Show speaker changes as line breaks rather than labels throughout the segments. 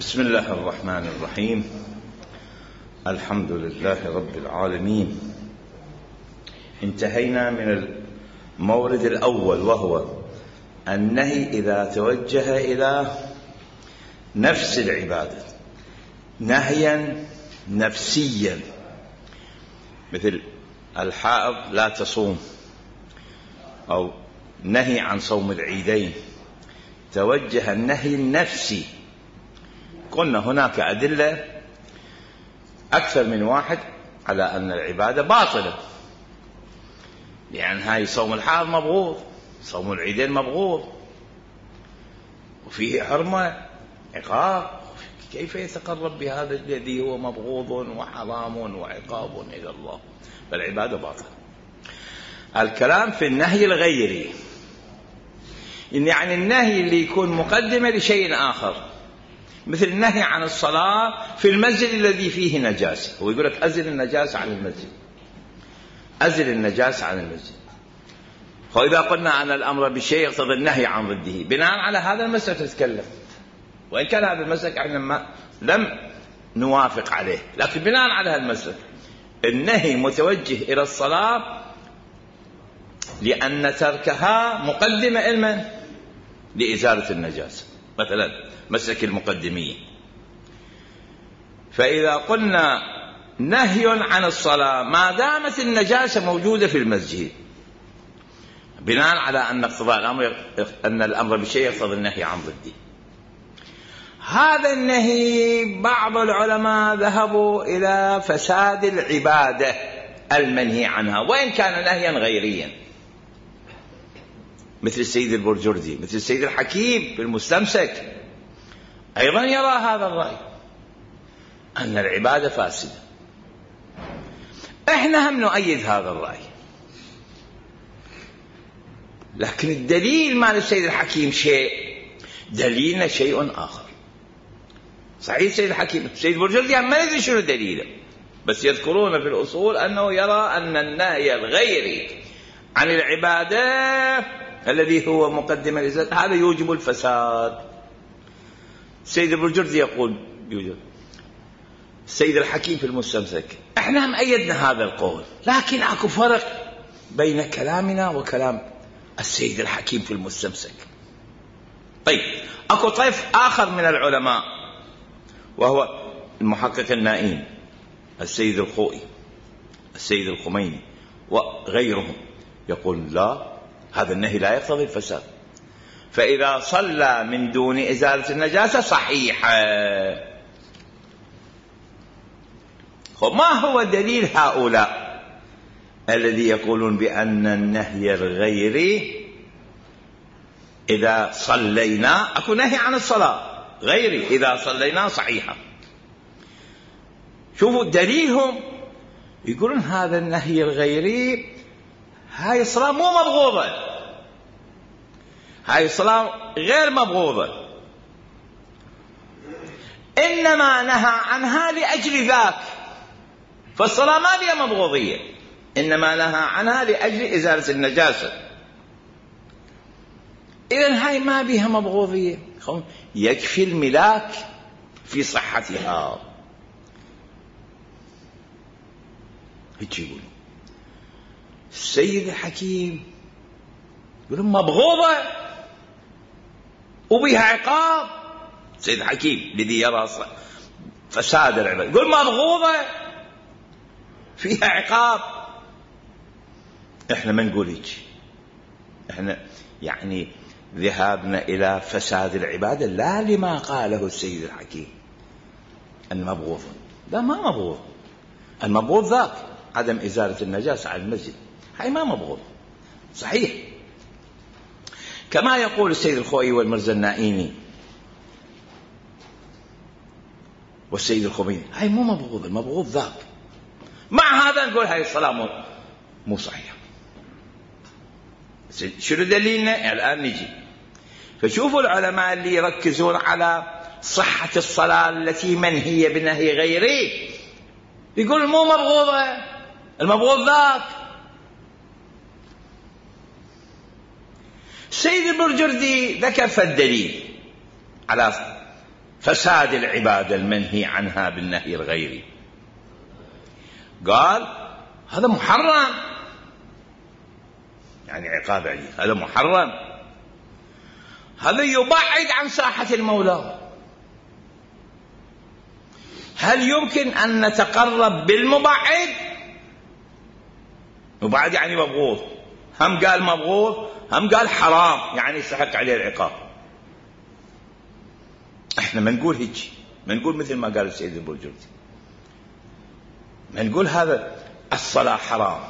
بسم الله الرحمن الرحيم. الحمد لله رب العالمين. انتهينا من المورد الأول، وهو النهي إذا توجه إلى نفس العبادة نهيا نفسيا، مثل الحائض لا تصوم، أو نهي عن صوم العيدين، توجه النهي النفسي. قلنا هناك أدلة أكثر من واحد على أن العبادة باطلة، لأن هاي صوم الحائض مبغوض، صوم العيدين مبغوض، وفيه حرمة عقاب. كيف يتقرب بهذا الذي هو مبغوض وحرام وعقاب إلى الله؟ فالعبادة باطلة. الكلام في النهي الغيري، يعني النهي اللي يكون مقدمة لشيء آخر، مثل النهي عن الصلاة في المسجد الذي فيه نجاسة. هو يقول لك أزل النجاسة عن المسجد، أزل النجاسة عن المسجد. فإذا قلنا أن الأمر بشيء يقتضي النهي عن ضده، بناء على هذا المسلك نتكلم، وإن كان هذا المسلك احنا لم نوافق عليه، لكن بناء على هذا المسلك النهي متوجه إلى الصلاة لأن تركها مقدمة علما لإزالة النجاسة، مثلا مسلك المقدمية. فإذا قلنا نهي عن الصلاة ما دامت النجاسة موجودة في المسجد، بناء على أن اقتضاء الأمر أن الأمر بشيء يقتضي النهي عن ضده. هذا النهي بعض العلماء ذهبوا إلى فساد العبادة المنهي عنها، وإن كان نهيا غيريا، مثل السيد البرجردي، مثل السيد الحكيم في المستمسك، أيضا يرى هذا الرأي أن العبادة فاسدة. إحنا هم نؤيد هذا الرأي، لكن الدليل مال السيد الحكيم شيء، دليلنا شيء آخر. صحيح السيد الحكيم، السيد البرجردي ما ندري شنو دليله، بس يذكرون في الأصول أنه يرى أن النهي الغيري عن العبادة الذي هو مقدمة لذاته هذا يوجب الفساد. السيد البرجردي يقول يوجب، السيد الحكيم في المستمسك. احنا هم أيدنا هذا القول، لكن اكو فرق بين كلامنا وكلام السيد الحكيم في المستمسك. طيب اكو طيف آخر من العلماء، وهو المحقق النائين، السيد الخوئي، السيد الخميني وغيرهم، يقول لا، هذا النهي لا يقتضي الفساد، فإذا صلى من دون إزالة النجاسة صحيحة. ما هو دليل هؤلاء الذي يقولون بأن النهي الغيري إذا صلينا، أكو نهي عن الصلاة غيري إذا صلينا صحيحة؟ شوفوا دليلهم، يقولون هذا النهي الغيري هاي الصلاة مو مبغوضة، هاي الصلاة غير مبغوضة، إنما نهى عنها لأجل ذاك، فالصلاة ما بها مبغوضية، إنما نهى عنها لأجل إزالة النجاسة. إذن هاي ما بها مبغوضية، يكفي الملاك في صحتها. هيك يقول السيد الحكيم، يقول مبغوضة وبها عقاب. السيد الحكيم الذي يرى فساد العبادة يقول مبغوضة فيها عقاب. احنا ما نقول هيك، احنا يعني ذهابنا الى فساد العبادة لا لما قاله السيد الحكيم ان مبغوض، لا ما مبغوض، المبغوض ذاك عدم ازالة النجاسة عن المسجد، هاي ما مبغوض صحيح. كما يقول السيد الخوئي والمرزا النائيني والسيد الخميني، هاي مو مبغوض، المبغوض ذاك. مع هذا نقول هاي الصلاة مو صحيحة. شنو دليلنا؟ الآن نجي. فشوفوا العلماء اللي يركزون على صحة الصلاة التي منهية بنهي غيري، يقول مو مبغوضة، المبغوض ذاك. سيد البرجردي ذكر فالدليل على فساد العبادة المنهي عنها بالنهي الغيري؟ قال هذا محرم، يعني عقاب عليه، هذا محرم، هذا يبعد عن ساحة المولى. هل يمكن أن نتقرب بالمبعد؟ مبعد يعني مبغوض، هم قال مبغوض هم قال حرام، يعني يستحق عليه العقاب. احنا ما نقول هيك، ما نقول مثل ما قال السيد البرجردي، ما نقول هذا الصلاة حرام،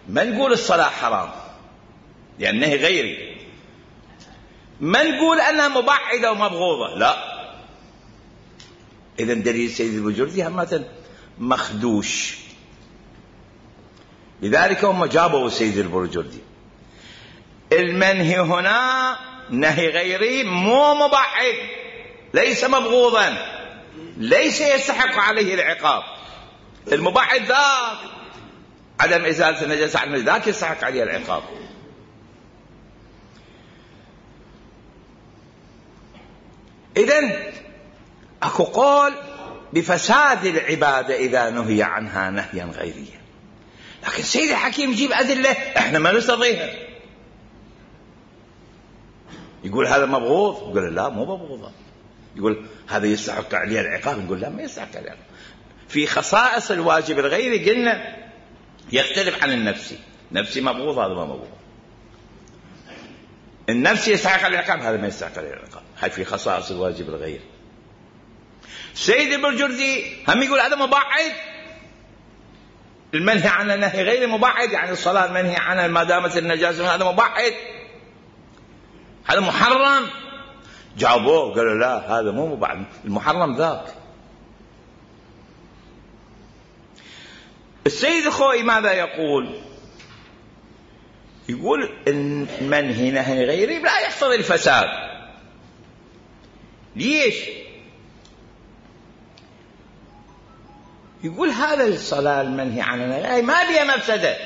ما نقول الصلاة حرام لأنه غيري، ما نقول أنها مبعدة ومبغوضة، لا. إذن دليل السيد البرجردي همة مخدوش. لذلك هم جابوا السيد البرجردي المنهي هنا نهي غيري مو مبعد، ليس مبغوضا، ليس يستحق عليه العقاب. المبعد ذاك عدم إزالة النجاسة عن ذاك يستحق عليه العقاب. إذن أكو قول بفساد العبادة إذا نهي عنها نهيا غيريا، لكن سيد الحكيم يجيب أدلة احنا ما نستطيعها. يقول هذا مبغوض، يقول لا مو مبغوض، يقول هذا يستحق عليه العقاب، نقول لا ما يستحق عليه العقاب. في خصائص الواجب الغيري قلنا يختلف عن النفسي، نفسي مبغوض هذا ما مبغوض، النفسي يستحق عليه العقاب هذا ما يستحق عليه العقاب. هاي في خصائص الواجب الغيري. سيد البرجردي هم يقول هذا مبعد، المنهي عن النهي غير مبعد، يعني الصلاة المنهي عنها ما دامت النجاسة هذا مبعد، هذا محرم. جاوبوه قالوا لا هذا مو مبعد، المحرم ذاك. السيد الخوئي ماذا يقول؟ يقول المنهي نهي غيري لا يقتضي الفساد. ليش؟ يقول هذا الصلاة المنهي عنها ما بيها مفسدة،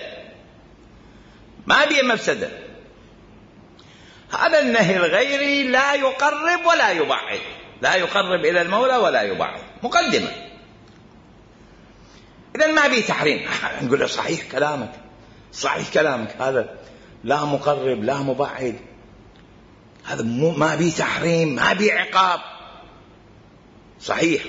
ما بيها مفسدة. هذا النهي الغيري لا يقرب ولا يبعد، لا يقرب إلى المولى ولا يبعد، مقدمة. إذن ما بيه تحريم. نقول له صحيح كلامك، صحيح كلامك، هذا لا مقرب لا مبعد، هذا ما بيه تحريم ما بيه عقاب، صحيح.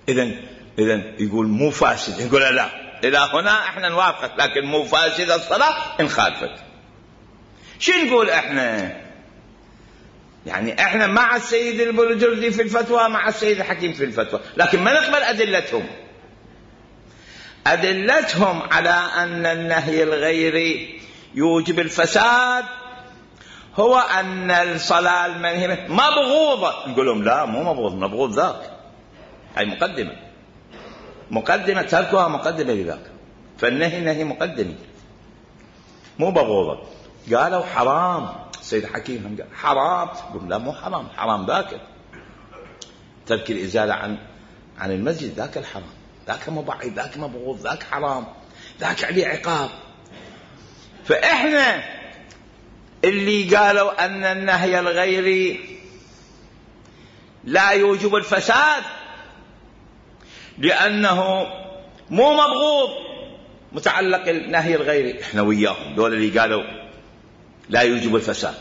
إذن يقول مو فاسد، يقول لا إلى هنا احنا نوافقك، لكن مو فاسد الصلاة إن خالفت. شو نقول احنا؟ يعني احنا مع السيد البرجردي في الفتوى، مع السيد الحكيم في الفتوى، لكن ما نقبل أدلتهم على أن النهي الغيري يوجب الفساد هو أن الصلاة المنهية مبغوضة. نقول لهم لا مو مبغوض، مبغوض ذاك. هاي مقدمة تركها مقدمة لذاك، فالنهي نهي مقدمي مو مبغوضة. قالوا حرام، السيد الحكيم هم قال حرام، قلنا لا مو حرام، حرام ذاك ترك الإزالة عن المسجد، ذاك الحرام، ذاك مبعد، ذاك مبغوض، ذاك حرام، ذاك عليه عقاب. فإحنا اللي قالوا أن النهي الغيري لا يوجب الفساد لأنه مو مبغوض متعلق النهي الغيري، احنا وياهم، دول اللي قالوا لا يوجب الفساد،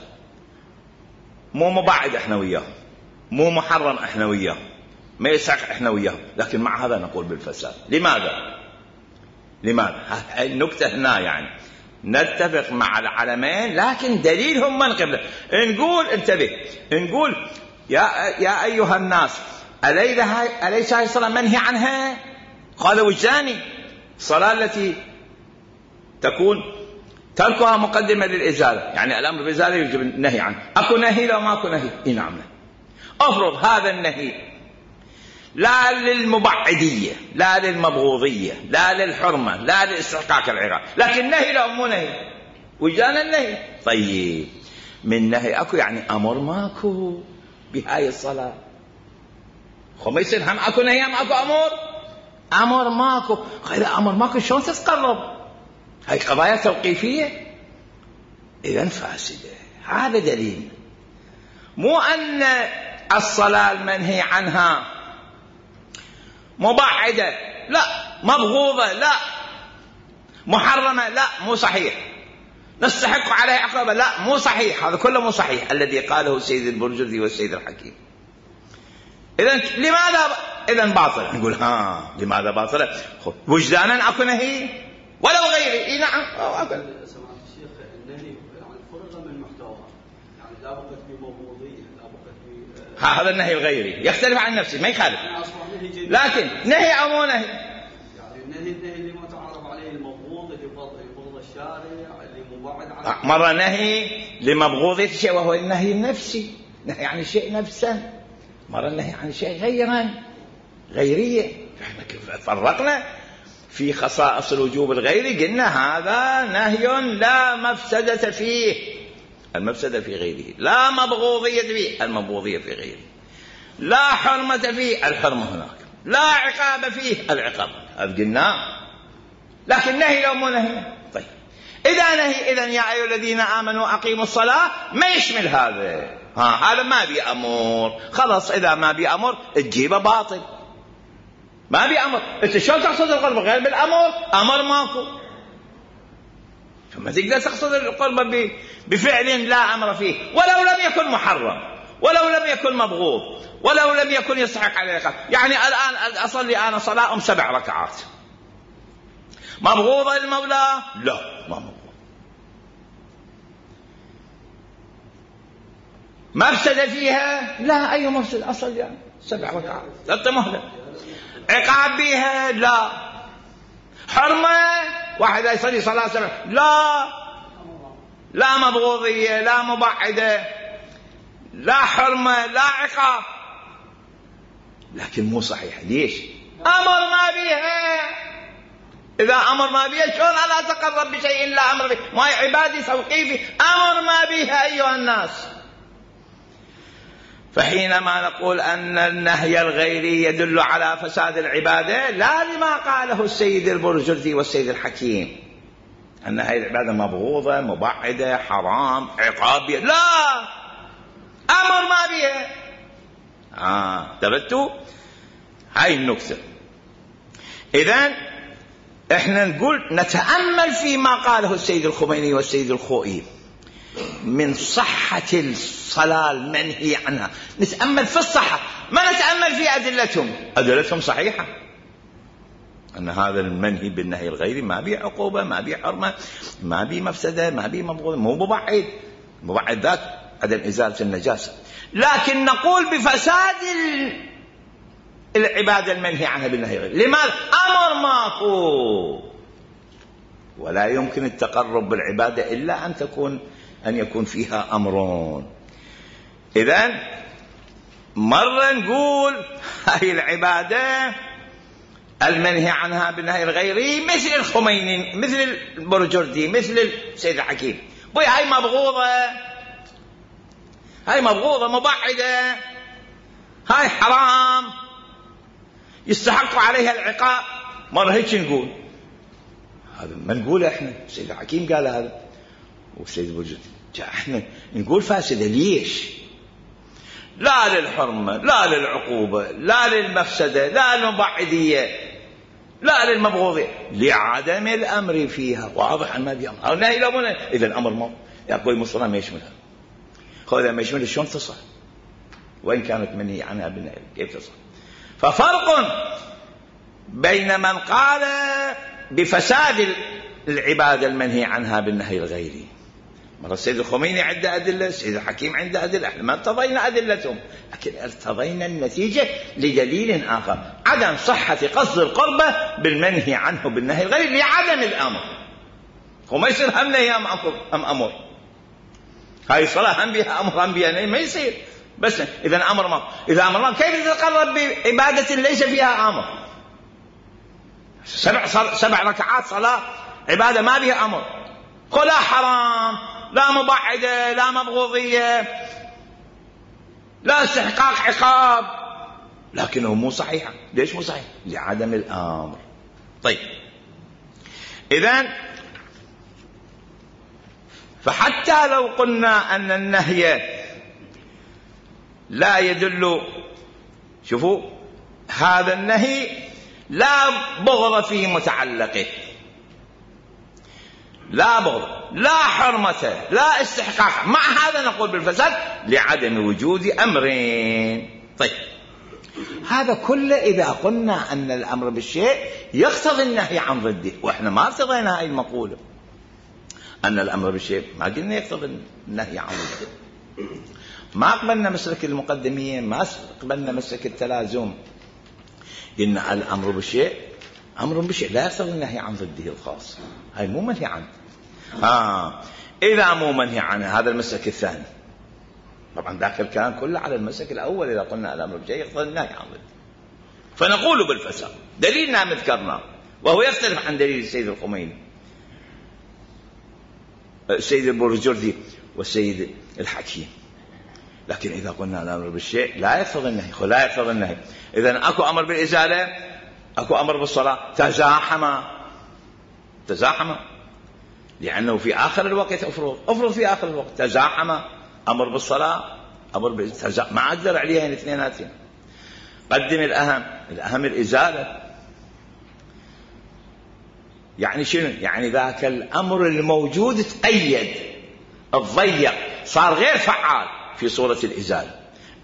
مو مبعد احنا وياهم، مو محرم احنا وياهم، ما يسعق احنا وياهم، لكن مع هذا نقول بالفساد. لماذا؟ هاي النكتة هنا، يعني نتفق مع العلمين لكن دليلهم من قبله. نقول انتبه، نقول يا أيها الناس أليس هاي الصلاة منهي عنها؟ قال وجداني، الصلاة التي تكون تركها مقدمة للإزالة، يعني الأمر بالإزالة يجب النهي عنه. أكو نهي لو ما أكو نهي؟ إيه نعم. أفرض هذا النهي لا للمبعدية لا للمبغوضية لا للحرمة لا لاستحقاق العقاب، لكن نهي لو مو نهي، وجدانا النهي. طيب من نهي أكو يعني أمر ماكو بهاي الصلاة، ما يصير هم أكو نهي هم أكو أمر ماكو. غير أمر ماكو شلون تتقرب؟ هاي قضايا توقيفية، إذن فاسدة. هذا دليل مو أن الصلاة المنهي عنها مبعدة، لا، مبغوضة، لا، محرمة، لا، مو صحيح، نستحق عليه عقوبة، لا، مو صحيح، هذا كله مو صحيح الذي قاله السيد البرجردي والسيد الحكيم. إذن لماذا إذن باطلة؟ نقول لماذا باطلة؟ وجدانا أكو نهي ولو غيري. نعم
سمعت الشيخ النهي يعني فرغ من محتواه، يعني لا بقت بمبغوضية، لا بقت
هذا النهي الغيري يختلف عن نفسه، ما يخالف، لكن نهي أو مو نهي؟
يعني النهي اللي ما تعرف عليه المبغوض، اللي يبغض الشارع، اللي مبعد عنه.
مرة نهي لمبغوضية شيء وهو النهي النفسي، نهي عن الشيء نفسه، مرة النهي عن شيء غيرية. فرقنا في خصائص الوجوب الغيري، قلنا هذا نهي لا مفسدة فيه، المفسدة في غيره، لا مبغوضية فيه، المبغوضية في غيره، لا حرمة فيه، الحرمة هناك، لا عقاب فيه، العقاب، هذا قلنا. لكن نهي لو مو نهي. طيب إذا نهي، إذن يا أيها الذين آمنوا أقيموا الصلاة ما يشمل هذا، هذا ما بيأمر، خلاص إذا ما بيأمر تجيبه باطل، ما بيأمر. أنت شو تقصد القرب غير بالأمر؟ أمر ماكو، فما تقدر تقصد القرب بفعل لا أمر فيه، ولو لم يكن محرم، ولو لم يكن مبغوض، ولو لم يكن يستحق على العقاب. يعني الآن أصلي أنا صلاة 7 ركعات، مبغوضة المولى؟ لا، ما مبغوض. مفسد فيها؟ لا، أي مفسد، أصل يعني 7 ركعات، لا مهلة. عقاب بها؟ لا. حرمة؟ واحد يصلي صلاة 7، لا، لا مبغوضية، لا مبعدة، لا حرمة، لا عقاب، لكن مو صحيح. ليش؟ أمر ما بها. إذا أمر ما بها شلون أنا أتقرب بشيء لا أمر به؟ ما عبادي توقيفي، أمر ما بها أيها الناس. فحينما نقول أن النهي الغيري يدل على فساد العبادة، لا لما قاله السيد البرجردي والسيد الحكيم أن هذه العبادة مبغوضة، مبعدة، حرام، عقاب، لا، أمر ما بها. تبتوا هاي النكتة. إذن احنا نقول نتأمل فيما قاله السيد الخميني والسيد الخوئي من صحة الصلاة المنهي عنها، نتأمل في الصحة، ما نتأمل في أدلتهم صحيحة، أن هذا المنهي بالنهي الغيري ما بيه عقوبة، ما بيه حرمة، ما بيه مفسدة، ما بيه مبغوض، مو مبعد ذات عدم إزالة النجاسة. لكن نقول بفساد العبادة المنهي عنها بالنهي الغيري. لماذا؟ أمر ماكو، ولا يمكن التقرب بالعبادة إلا أن يكون فيها أمرون. إذن مرة نقول هاي العبادة المنهي عنها بالنهي الغيري مثل الخميني، مثل البرجردي، مثل السيد الحكيم، هاي مبغوضة، مبعدة، هاي حرام، يستحق عليها العقاب. مرة هيك نقول، هذا ما نقول احنا، السيد الحكيم قال هذا والسيد البرجردي، احنا نقول فاسدة. ليش؟ لا للحرمة، لا للعقوبة، لا للمفسدة، لا للمبعدية، لا للمبغوضية، لعدم الأمر فيها. واضح أن ما بيأمر، أو نهي لا منه. إذا الأمر ما يقول المصطلح ما يشملها، خذها ما يشملها شلون تصح؟ وإن كانت منهي عنها بالنهي كيف تصح؟ ففرق بين من قال بفساد العبادة المنهي عنها بالنهي الغيري. مرة السيد الخميني عنده أدلة، السيد الحكيم عنده أدلة، احنا ما ارتضينا أدلتهم، لكن ارتضينا النتيجة لدليل آخر، عدم صحة قصد القربة بالمنهي عنه بالنهي الغيري لعدم الأمر. هو ما يصير هم نهي أم أمر، هاي الصلاة هم بها أمر هم بها نهي، ما يصير. بس إذا أمرنا كيف تتقرب بعبادة ليس فيها أمر؟ 7 ركعات صلاة عبادة ما بها أمر، لا حرام، لا مبعدة، لا مبغوضية، لا استحقاق عقاب، لكنه مو صحيحة. ليش مو صحيح؟ لعدم الأمر. طيب إذن فحتى لو قلنا أن النهي لا يدل، شوفوا هذا النهي لا بغض في متعلقه، لا بغض، لا حرمة، لا استحقاق، مع هذا نقول بالفساد لعدم وجود أمرين. طيب هذا كله إذا قلنا أن الأمر بالشيء يقتضي النهي عن ضده، وإحنا ما ارتضينا هاي المقولة أن الأمر بالشيء، ما قلنا يقتضي النهي عن ضده، ما قبلنا مسلك المقدمية، ما قبلنا مسلك التلازم، قلنا الأمر بالشيء أمر بالشيء لا يقتضي النهي عن ضده الخاص، هاي مو منهي عنه. إذا مو منهي عنه هذا المسلك الثاني، طبعا ذاك الكلام كله على المسلك الأول إذا قلنا الأمر بالشيء يقتضي النهي عن ضده، فنقول بالفساد دليلنا مذكرنا، وهو يختلف عن دليل السيد الخميني، السيد البرجردي والسيد الحكيم. لكن إذا قلنا الأمر بالشيء لا يقتضي النهي، لا يقتضي النهي، إذن أكو أمر بالإزالة، أكو أمر بالصلاة، تزاحم، لأنه في آخر الوقت أفرض في آخر الوقت تزاحم، أمر بالصلاة أمر بالتزاحم، ما أقدر عليها الاثنيناتين. قدم الأهم الإزالة، يعني شنو؟ يعني ذاك الأمر الموجود تقيد، الضيق، صار غير فعال في صورة الإزالة.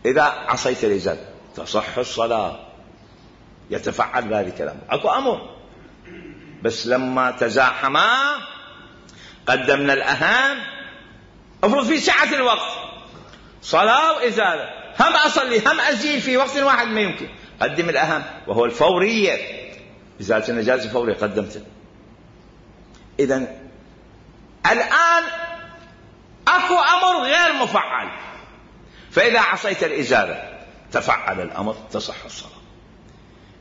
إذا عصيت الإزالة تصح الصلاة، يتفعل ذلك الأمر، أكو أمر، بس لما تزاحما قدمنا الأهم. افرض في سعة الوقت صلاة وإزالة، هم أصلي هم أزيل في وقت واحد ما يمكن، قدم الأهم وهو الفورية، إزالة النجاسة فورية قدمته. إذن الآن أكو أمر غير مفعل، فإذا عصيت الإزالة تفعل الأمر تصح الصلاة.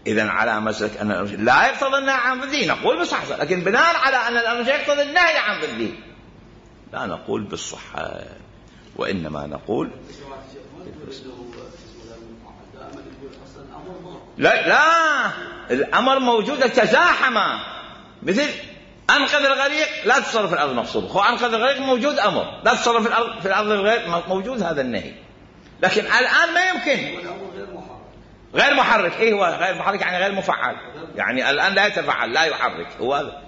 إذن على مسلك أن الأمر لا يقتضي النهي عن ضده نقول بالصحة، لكن بناء على أن الأمر يقتضي النهي عن ضده لا نقول بالصحة، وإنما نقول لا الأمر موجود تزاحم، مثل أنقذ الغريق لا تصرف في الأرض مقصود، خو أنقذ الغريق موجود أمر، لا تصرف في الأرض غير موجود هذا النهي، لكن الآن ما يمكن غير محرك. إيه هو غير محرك؟ يعني غير مفعل، يعني الآن لا يتفعل لا يحرك، هو هذا.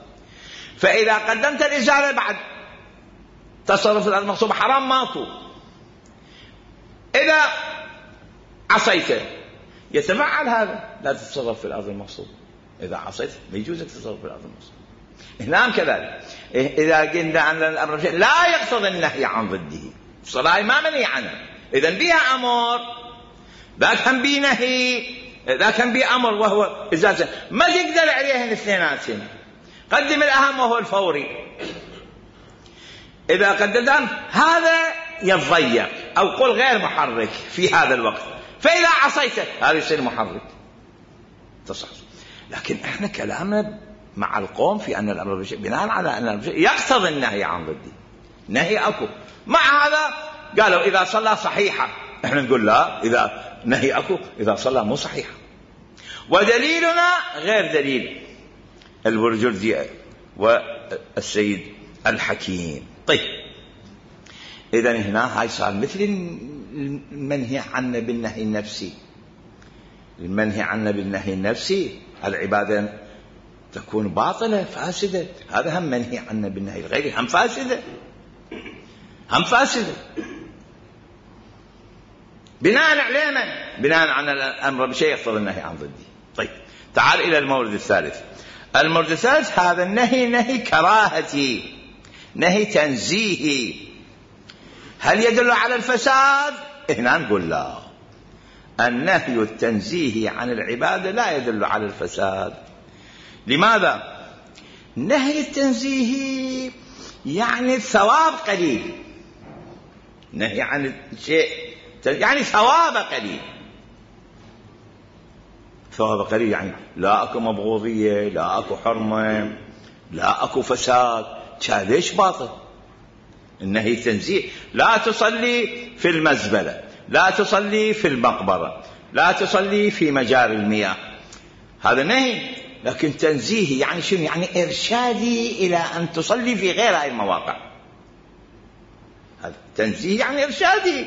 فإذا قدمت الإزالة بعد تصرف في الأرض مقصود حرام ماكو. إذا عصيته يتفعل هذا، لا تتصرف في الأرض المقصود، إذا عصيت ما يجوزك تتصرف في الأرض المقصود. هنا كذلك إذا قلنا أن الأمر لا يقتضي النهي عن ضده، الصلاة ما منهي عنها، إذن بها أمر، ذاك هم بي نهي، ذاك هم بي أمر وهو إزالة، ما تقدر عليها الاثنيناتين. قدم الأهم وهو الفوري، إذا قدم هذا يتضيق أو قل غير محرك في هذا الوقت، فإذا عصيته هذا يصير محرك تصح. لكن احنا كلامنا مع القوم في أن الأمر بالشيء بناء على أن الأمر بالشيء يقتضي النهي عن ضده، نهي أكو، مع هذا قالوا إذا صلى صحيحة، احنا نقول لا، إذا نهي أكو إذا صلى مو صحيحة، ودليلنا غير دليل البرجردي والسيد الحكيم. طيب إذن هنا هاي صار مثل المنهي عنه بالنهي النفسي، المنهي عنه بالنهي النفسي العبادة تكون باطلة فاسدة، هذا هم منهي عنه بالنهي الغيري هم فاسدة، هم فاسدة بناء على من؟ بناء على الأمر بشيء يقتضي النهي عن ضده. طيب تعال إلى المورد الثالث. المورد الثالث هذا النهي نهي كراهتي، نهي تنزيهي، هل يدل على الفساد؟ هنا نقول لا، النهي التنزيهي عن العبادة لا يدل على الفساد. لماذا؟ نهي التنزيهي يعني الثواب قليل، نهي عن الشيء يعني ثواب قليل، ثواب قليل يعني لا أكو مبغوضية، لا أكو حرمة، لا أكو فساد، ليش باطل؟ النهي التنزيه لا تصلي في المزبلة، لا تصلي في المقبرة، لا تصلي في مجاري المياه، هذا نهي. لكن تنزيهي يعني شنو؟ يعني إرشادي إلى أن تصلي في غير هذه المواقع، هذا تنزيه يعني إرشادي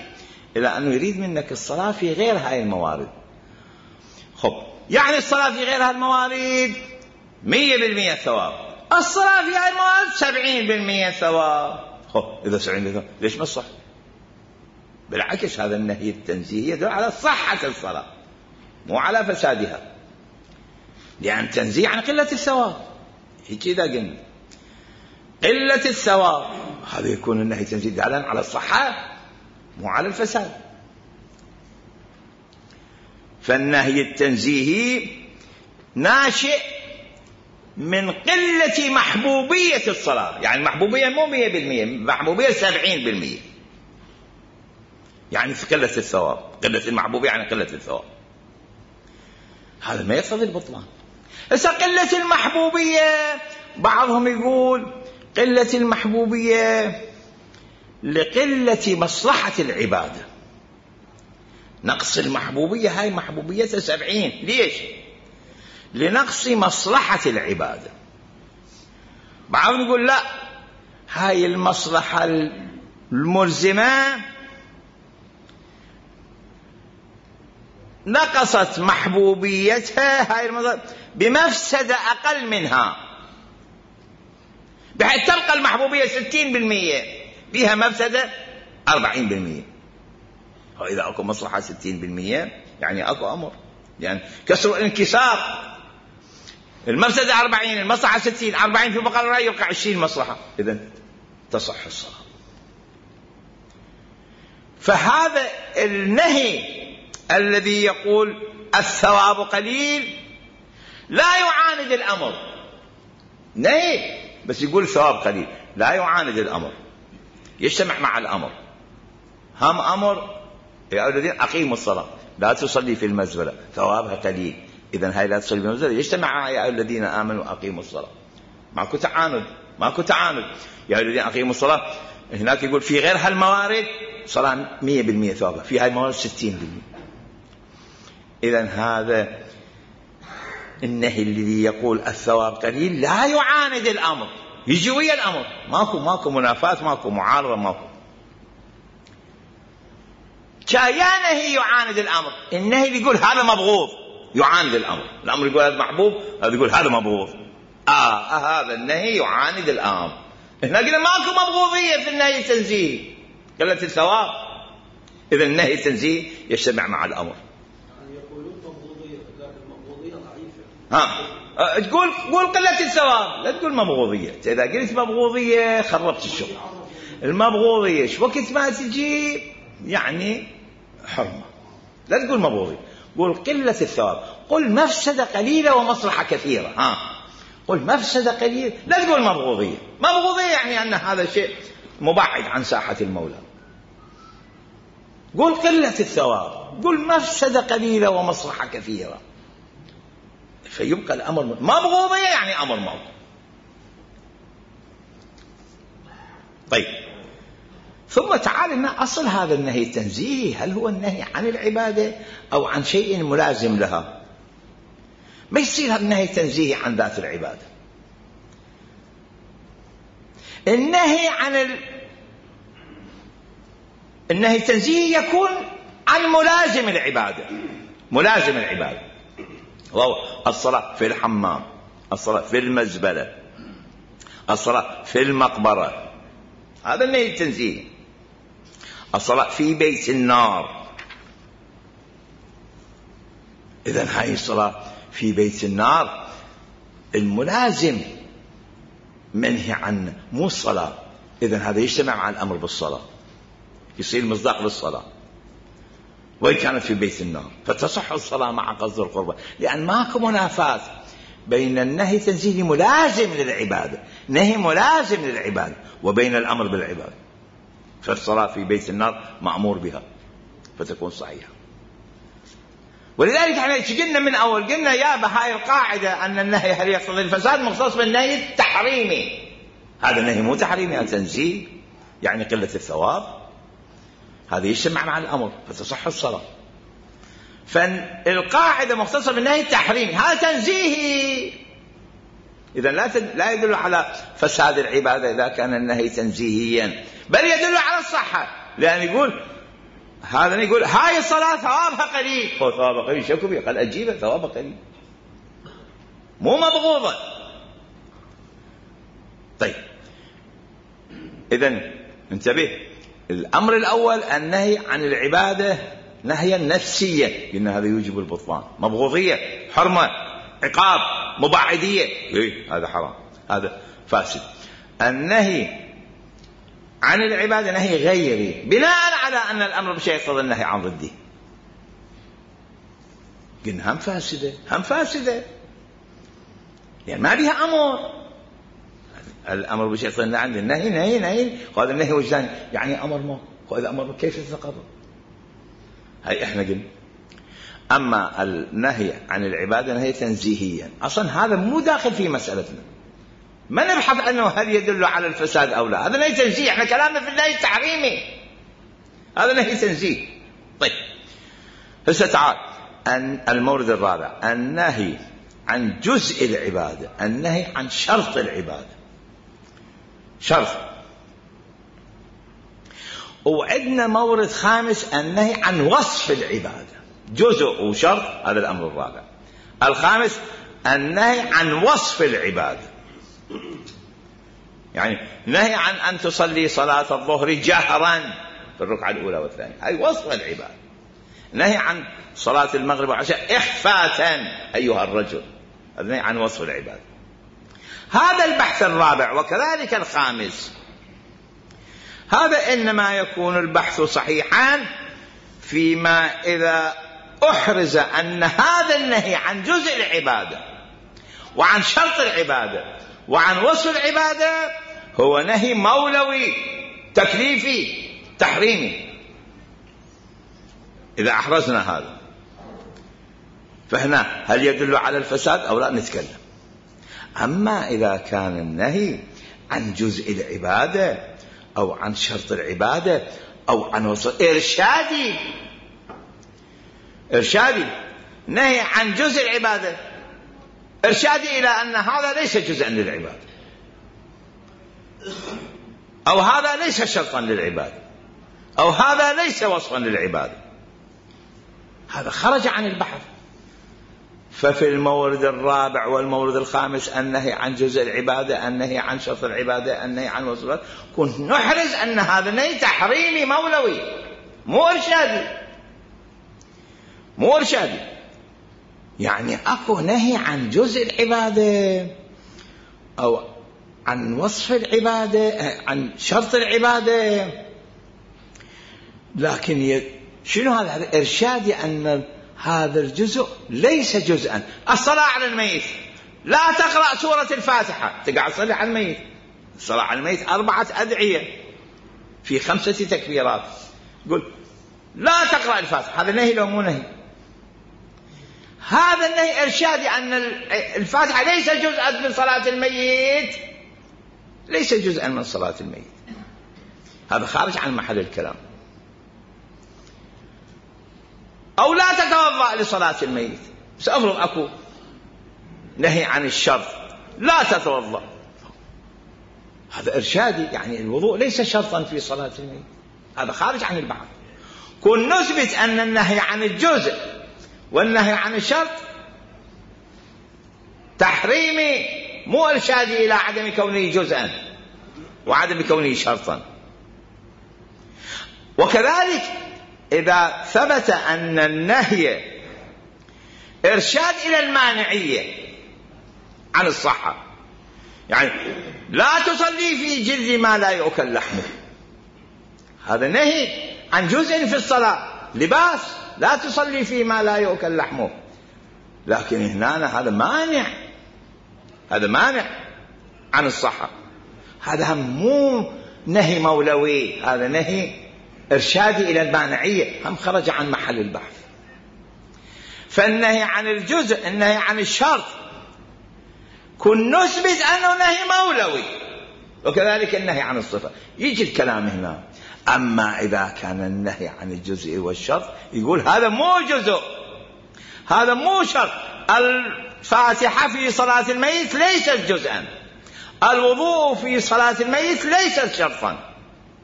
إلى أنه يريد منك الصلاة في غير هاي الموارد. خب يعني الصلاة في غير هاي الموارد 100% ثواب، الصلاة في هاي الموارد 70% ثواب. خب إذا 70% ليش ما الصح؟ بالعكس هذا النهي التنزيهي يدل على صحة الصلاة مو على فسادها، لأن تنزيه عن قلة الثواب. هيك إذا قلنا قلة الثواب هذا يكون النهي التنزيهي دالا على الصحة مو على الفساد. فالنهي التنزيهي ناشئ من قلة محبوبية الصلاة، يعني المحبوبية مو 100%، محبوبية 70%، يعني في قلة الثواب. قلة المحبوبية يعني قلة الثواب، هذا ما يقتضي البطلان. هسه قلة المحبوبية بعضهم يقول قلة المحبوبية لقلة مصلحة العبادة، نقص المحبوبية هاي محبوبيتها 70، ليش؟ لنقص مصلحة العبادة. بعضهم يقول لا، هاي المصلحة الملزمة نقصت محبوبيتها هاي بمفسدة أقل منها، بحيث تبقى المحبوبية 60% فيها مفسدة 40%. وإذا أكو مصلحة 60% يعني أكو أمر، يعني كسر الانكسار، المفسدة 40، المصلحة 60، 40 في بقى الرأي يبقى 20 مصلحة، إذن تصح الصلاة. فهذا النهي الذي يقول الثواب قليل لا يعاند الأمر، نهي بس يقول الثواب قليل لا يعاند الأمر، يجتمع مع الأمر. هم أمر يا أيها الذين أقيموا الصلاة لا تصلي في المزبلة ثوابها قليل، إذن هاي لا تصلي في المزبلة يجتمع يا أيها الذين آمنوا أقيموا الصلاة. ماكو تعاند، ماكو تعاند. يا أيها الذين أقيموا الصلاة هناك يقول في غير هالموارد صلاة 100% ثوابها، في هاي الموارد 60%. إذن هذا النهي الذي يقول الثواب قليل لا يعاند الأمر، يجي ويا الأمر، ماكو منافاة، ماكو معارضة، ماكو. يا نهي يعاند الأمر، النهي اللي يقول هذا مبغوض يعاند الأمر، الأمر يقول هذا محبوب، هذا يقول هذا مبغوض. هذا النهي يعاند الأمر. هنا قلنا ماكو مبغوضية في النهي التنزيهي، قلت الثواب، إذا النهي التنزيهي يجتمع مع الأمر. تقول قلة الثواب، لا تقول مبغوضية. إذا قلت مبغوضية خربت الشغل. المبغوضية وقت ما تجي يعني حرمة، لا تقول مبغوضية، قول قلة الثواب، قل مفسدة قليلة ومصلحة كثيرة. قل مفسدة قليلة، لا تقول مبغوضية. مبغوضية يعني أن هذا شيء مبعد عن ساحة المولى. قل قلة الثواب، قل مفسدة قليلة ومصلحة كثيرة، فيبقى الأمر مبغوضية يعني أمر موت. طيب ثم تعال لنا أصل هذا النهي التنزيهي، هل هو النهي عن العبادة أو عن شيء ملازم لها؟ ما يصير هذا النهي التنزيهي عن ذات العبادة. النهي عن النهي التنزيهي يكون عن ملازم العبادة، ملازم العبادة، وهو الصلاة في الحمام، الصلاة في المزبلة، الصلاة في المقبرة، هذا النهي التنزيهي. الصلاة في بيت النار، إذن هاي الصلاة في بيت النار الملازم منهي عنه مو الصلاة، إذن هذا يجتمع مع الأمر بالصلاة، يصير مصداق للصلاة وإن كانت في بيت النار، فتصح الصلاة مع قصد القربة، لأن ماكو منافاة بين النهي التنزيهي ملازم للعبادة، نهي ملازم للعبادة، وبين الأمر بالعبادة، فالصلاة في بيت النار مأمور بها فتكون صحيحة. ولذلك احنا قلنا من أول، قلنا يا بهاي القاعدة أن النهي هل يقتضي الفساد مختص بالنهي التحريمي، هذا النهي مو تحريمي، هذا تنزيه يعني قلة الثواب، هذا يجتمع مع الأمر فتصح الصلاة. فالقاعدة مختصة بالنهي التحريمي، هذا تنزيهي، إذا لا يدل على فساد العبادة إذا كان النهي تنزيهيا، بل يدل على الصحة، لأن يقول هذا يقول هاي الصلاة ثوابها قليل، هو ثوابها قليل شكو بيه؟ قال أجيبه ثوابها قليل مو مبغوضة. طيب إذن انتبه، الأمر الأول النهي عن العبادة نهيا نفسيا، قلنا هذا يوجب البطلان، مبغوضية، حرمة، عقاب، مبعدية، هذا حرام، هذا فاسد. النهي عن العبادة نهي غيري بناء على أن الأمر بشيء يقتضي النهي عن ضده، قلنا هم فاسدة، هم فاسدة، يعني ما بها أمر. الأمر بشيء يقتضي النهي عن النهي، نهي نهي، وهذا النهي وجداني، يعني أمر ما، وإذا أمر كيف يتقرر؟ هاي إحنا قلنا. أما النهي عن العبادة نهي تنزيهيا، أصلا هذا مو داخل في مسألتنا، ما نبحث عنه هل يدل على الفساد أو لا، هذا نهي تنزيه، احنا كلامنا في النهي التحريمي، هذا نهي تنزيه. طيب هسه تعال المورد الرابع، النهي عن جزء العبادة، النهي عن شرط العبادة، شرط. وعندنا مورد خامس، النهي عن وصف العبادة، جزء وشرط، هذا الأمر الرابع. الخامس النهي عن وصف العبادة، يعني نهي عن أن تصلي صلاة الظهر جهرا في الركعة الأولى والثانية، هاي وصف العبادة. نهي عن صلاة المغرب والعشاء إخفاتا أيها الرجل، هذا نهي عن وصف العبادة. هذا البحث الرابع وكذلك الخامس، هذا إنما يكون البحث صحيحا فيما إذا أحرز أن هذا النهي عن جزء العبادة وعن شرط العبادة وعن وصف العبادة هو نهي مولوي تكليفي تحريمي. إذا أحرزنا هذا فهنا هل يدل على الفساد أو لا نتكلم. أما إذا كان النهي عن جزء العبادة أو عن شرط العبادة أو عن وصف إرشادي، نهي عن جزء العبادة إرشادي إلى أن هذا ليس جزءا للعبادة، أو هذا ليس شرطا للعبادة، أو هذا ليس وصفا للعبادة، هذا خرج عن البحث. ففي المورد الرابع والمورد الخامس النهي عن جزء العبادة، النهي عن شرط العبادة، النهي عن وصف العبادة، كنت نحرز أن هذا نهي تحريمي مولوي مو إرشادي. يعني أكو نهي عن جزء العبادة أو عن وصف العبادة، عن شرط العبادة، لكن شنو هذا إرشادي أن هذا الجزء ليس جزءا. الصلاة على الميت، لا تقرأ سورة الفاتحة، تقعد تصلي على الميت. الصلاة على الميت 4 أدعية في 5 تكبيرات، قل لا تقرأ الفاتحة، هذا نهي لو مو نهي؟ هذا النهي إرشادي أن الفاتحة ليس جزءا من صلاة الميت، ليس جزءا من صلاة الميت، هذا خارج عن محل الكلام. أو لا تتوضأ لصلاة الميت، سأفرض أكو نهي عن الشرط، لا تتوضأ، هذا إرشادي، يعني الوضوء ليس شرطا في صلاة الميت، هذا خارج عن البحث. كن نثبت أن النهي عن الجزء والنهي عن الشرط تحريمي مو إرشادي إلى عدم كونه جزءا وعدم كونه شرطا. وكذلك إذا ثبت أن النهي إرشاد إلى المانعية عن الصحة، يعني لا تصلي في جلد ما لا يؤكل لحمه، هذا نهي عن جزء في الصلاة، لباس لا تصلي في ما لا يؤكل لحمه، لكن هنا هذا مانع عن الصحة، هذا مو نهي مولوي، هذا نهي إرشادي إلى المانعية، هم خرج عن محل البحث. فالنهي عن الجزء، النهي عن الشرط، كن نثبت أنه نهي مولوي، وكذلك النهي عن الصفة. يجي الكلام هنا، أما إذا كان النهي عن الجزء والشرط يقول هذا مو جزء، هذا مو شرط، الفاتحة في صلاة الميت ليست جزءا، الوضوء في صلاة الميت ليست شرطا،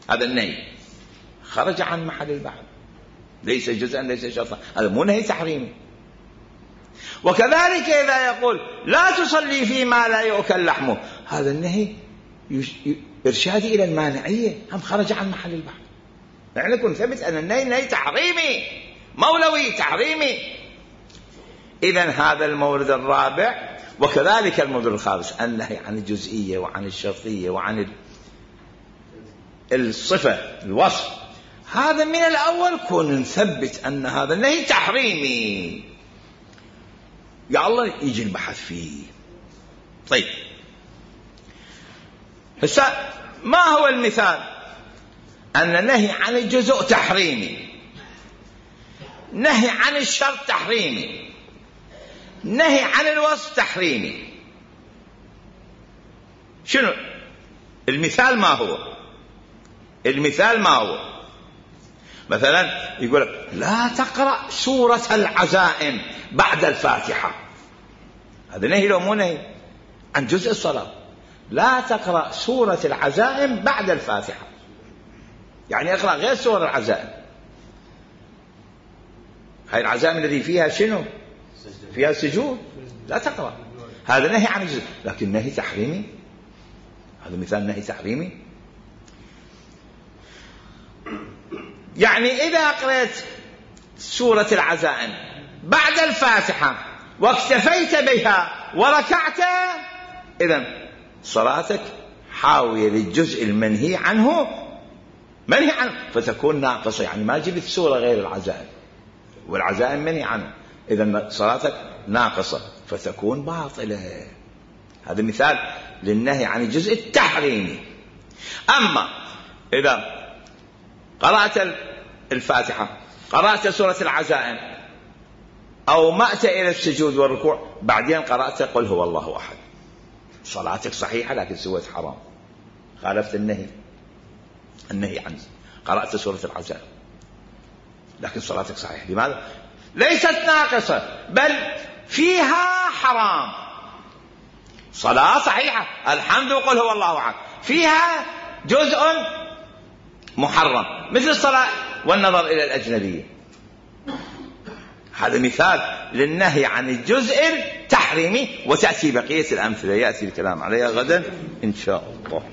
هذا النهي خرج عن محل البحث. ليس جزءا ليس شرطا، هذا مو نهي تحريمي. وكذلك إذا يقول لا تصلي فيما لا يؤكل لحمه، هذا النهي إرشادي إلى المانعية، هم خرج عن محل البحث. يعني نكون ثبت أن النهي نهي تحريمي مولوي تحريمي. إذن هذا المورد الرابع. وكذلك المورد الخامس النهي عن الجزئية وعن الشرطية وعن الصفة الوصف، هذا من الأول كون نثبت أن هذا النهي تحريمي، يا الله يجي البحث فيه. طيب هسه ما هو المثال؟ أن النهي عن الجزء تحريمي، نهي عن الشرط تحريمي، نهي عن الوصف تحريمي. شنو المثال؟ ما هو المثال؟ ما هو؟ مثلا يقول لا تقرأ سورة العزائم بعد الفاتحة، هذا نهي لو مو نهي؟ عن جزء الصلاة. لا تقرأ سورة العزائم بعد الفاتحة، يعني اقرأ غير سورة العزائم. هاي العزائم الذي فيها شنو؟ فيها سجود، لا تقرأ. هذا نهي عن الجزء، لكن نهي تحريمي، هذا مثال نهي تحريمي. يعني إذا قرأت سورة العزائم بعد الفاتحة واكتفيت بها وركعت، إذن صلاتك حاوية للجزء المنهي عنه، منهي عنه، فتكون ناقصة. يعني ما جبت سورة غير العزائم، والعزائم منهي عنه، إذن صلاتك ناقصة فتكون باطلة. هذا مثال للنهي عن الجزء التحريمي. أما إذا قرأت الفاتحة، قرأت سورة العزائم، أو مأت إلى السجود والركوع، بعدين قرأت قل هو الله أحد، صلاتك صحيحة لكن سويت حرام، خالفت النهي عنه. قرأت سورة العزائم لكن صلاتك صحيحة، لماذا؟ ليست ناقصة بل فيها حرام. صلاة صحيحة الحمد وقل هو الله أحد، فيها جزء محرم مثل الصلاة والنظر إلى الأجنبية. هذا مثال للنهي عن الجزء التحريمي، وتأتي بقية الأمثلة يأتي الكلام عليها غدا إن شاء الله.